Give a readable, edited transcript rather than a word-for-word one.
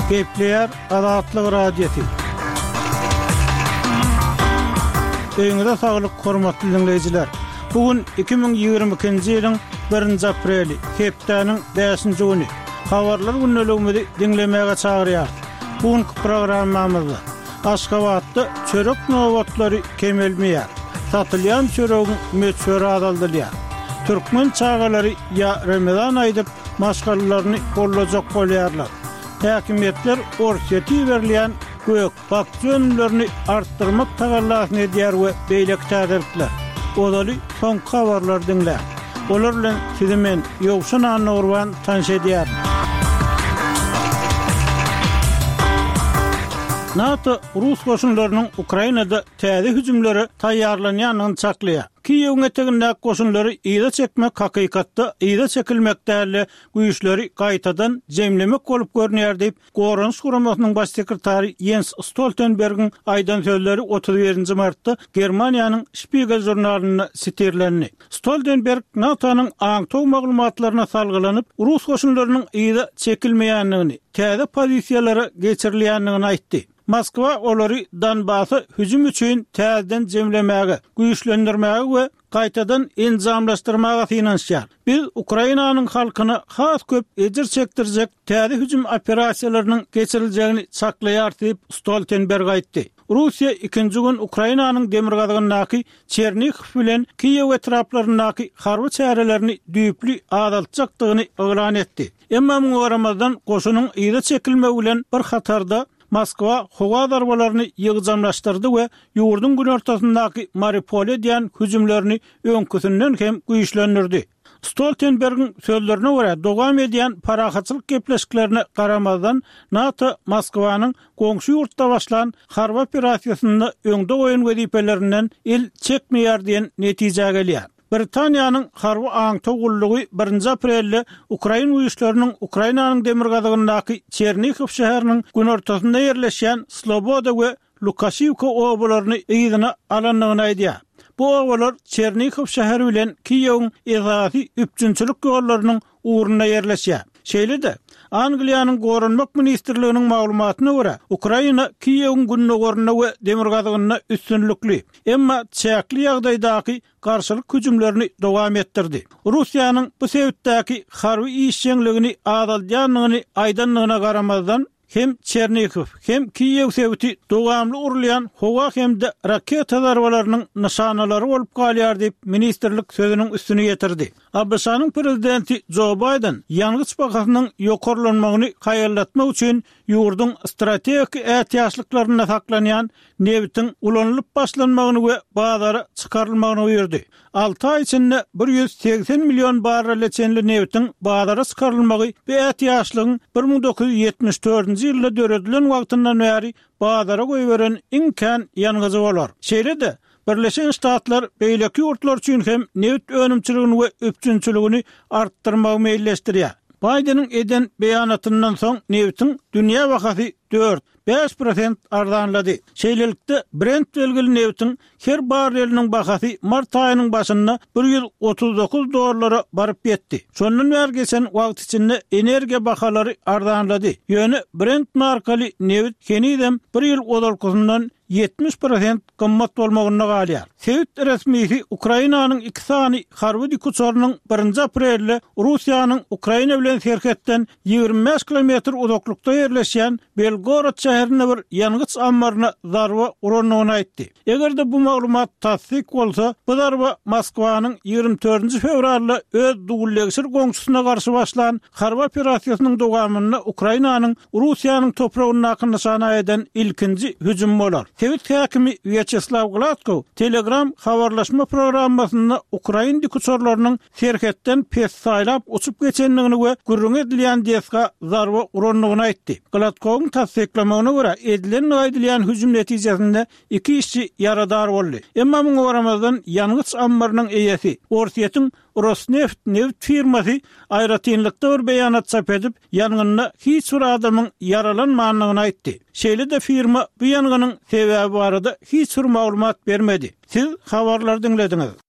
Gepleýär Azatlyk Radiosy. Öýüňize saglyk, hormatly diňleýjiler! Bu gün 2022-nji ýylyň birinji apreli, hepdäniň bäşinji güni. Habarlar gündeligimizi diňlemäge çagyrýarys. Bu günki programmamyzda Aşgabatda çörek nobatlary kemelmeýär, satylýan çöregiň möçberi azaldylýar. Türkmen çagalary ýa Remezan aýdyp, maşgalalaryny gollajak bolýarlar. Häkimiýetler Orsýete iberilýän gök, bakja önümlerini artdyrmak tagallasyny edýär we beýleki täzelikler. Ozaly soňky habarlary diňläň. Olar bilen sizi men, Ýowşan Annagurban tanyş edýärin. NATO rus goşunlarynyň Ukrainada täze hüjümlere taýýarlanýandygyny çaklaýar. Kiýewiň etegindäki goşunlary yza çekmek hakykatda yza çekilmek däl-de, güýçleri gaýtadan jemlemek bolup görünýär diýip, Goranyş guramasynyň baş sekretary Ýens Stoltenbergiň aýdan sözleri 31 nji martda Germaniýanyň Spiegel žurnalynda sitirlendi. Stoltenberg NATO-nyň aňtaw maglumatlaryna salgylanyp, rus goşunlarynyň yza çekilmeýändigini, täze pozisiýalara geçirilýändigini aýtdy. Moskwa olary Donbasa hüjüm üçin täzeden jemlemäge, güýçlendirmäge we gaýtadan enjamlaşdyrmaga synanyşýar. Biz Ukrainanyň halkyna has köp ejir çekdirjek täze hüjüm operasiýalarynyň geçiriljegini çaklaýarys diýip, Stoltenberg aýtdy. Russiýa ikinji gün Ukrainanyň demirgazygyndaky Çernihow bilen Kiýew etraplaryndaky harby çärelerini düýpli azaltjakdygyny yglan etdi. Emma muňa garamazdan, goşunyň yza çekilmegi bilen bir hatarda, Moskwa howa zarbalaryny ýygjamlaşdyrdy we ýurduň günortasyndaky Mariupole edýän hüjümlerini öňküsinden hem güýçlendirdi. Stoltenbergiň sözlerine görä, dowam edýän parahatçylyk gepleşiklerine garamazdan, NATO Moskwanyň goňşy ýurtda başlan harby operasiýasynda öňde goýan wezipelerinden el çekmeýär diýen netijä gelýär. Britaniýanyň harby aňtaw gullugy birinji aprelde ukrain güýçleriniň Ukrainanyň demirgazygyndaky Çernihow şäheriniň günortasynda ýerleşýän Sloboda we Lukaşiwka obalaryny yzyna alandygyny aýdýar. Bu obalar Çernihow şäheri bilen Kiýewiň esasy üpjünçilik ýollarynyň ugrunda ýerleşýär. Şeýle-de, Angliýanyň Goranmak ministrliginiň maglumatyna görä, Ukraina Kiýewiň gündogarynda we demirgazygynda üstünlikli, emma çäkli ýagdaýdaky garşylyk hüjümlerini dowam etdirdi. Russiýanyň bu sebitdäki harby işjeňligini azaldýandygyny aýdandygyna garamazdan, hem Çernihow, hem Kiýew sebiti dowamly urulýan howa hem-de raketa zarbalarynyň nyşanalary bolup galýar diýip, ministrlik sözüniň üstüni ýetirdi. ABŞ-nyň prezidenti Jo Baýden ýangyç bahasynyň ýokarlanmagyny haýallatmak üçin ýurduň strategik ätiýaçlyklarynda saklanýan nebitiň ulanylyp başlanmagyny we bazara çykarylmagyny buýurdy. Alty aý içinde 180 million barrele çenli nebitiň bazara çykarylmagy bu ätiýaçlygyň 1974-nji ýylda döredilen wagtyndan bäri bazara goýberen iň kän ýangyjy bolar. Şeýle-de, Birleşen Ştatlar beýleki ýurtlar üçin hem nebit önümçiligini we üpjünçiligini artdyrmagy meýilleşdirýär. Baýdeniň eden beýanatyndan soň nebitiň dünýä bahasy dört, 5% arzanlady. Şeýlelikde, Brent belgili nebitiň her barreliniň bahasy mart aýynyň başynda 139 dollara baryp ýetdi. Şondan bäri geçen wagt içinde energiýa bahalary arzanlady. Ýöne Brent markaly nebit henizem bir ýyl ozalkysyndan 70% gymmat bolmagynda galýar. Sebit resmisi Ukrainanyň iki sany harby dikuçarynyň birinji aprelde Russiýanyň Ukraina bilen serhetden 25 kilometr uzaklykda ýerleşýän Belgorod şäherinde bir ýangyç ammaryna zarba urandygyny aýtdy. Eger-de bu maglumat tassyk bolsa, bu zarba Moskwanyň 24-nji fewralda öz dullegşir goňşusyna garşy başlan harby operasiýasynyň dowamynda Ukrainanyň Russiýanyň topragyndaky nyşana eden ilkinji hüjümi bolar. Sebit häkimi Wýaçeslaw Gladkow Telegram habarlaşma programmasynda ukrain dikuçarlarynyň serhetden pessaýlap uçup geçendigini we gürrüňi edilýän desga zarba urandygyny aýtdy. Gladkowyň tassyklamagyna görä, edilendigi aýdylýan hüjüm netijesinde iki işçi ýaradar boldy. Emma muňa garamazdan, ýangyç ammarynyň eýesi, Orsýetiň Rosneft nebit firmasy aýratynlykda bir beýanat çap edip, ýangynda hiç bir adamyň ýaralanmandygyny aýtdy. Şeýle-de firma bu ýangynyň sebäbi barada hiç bir maglumat bermedi. Siz habarlary diňlediňiz.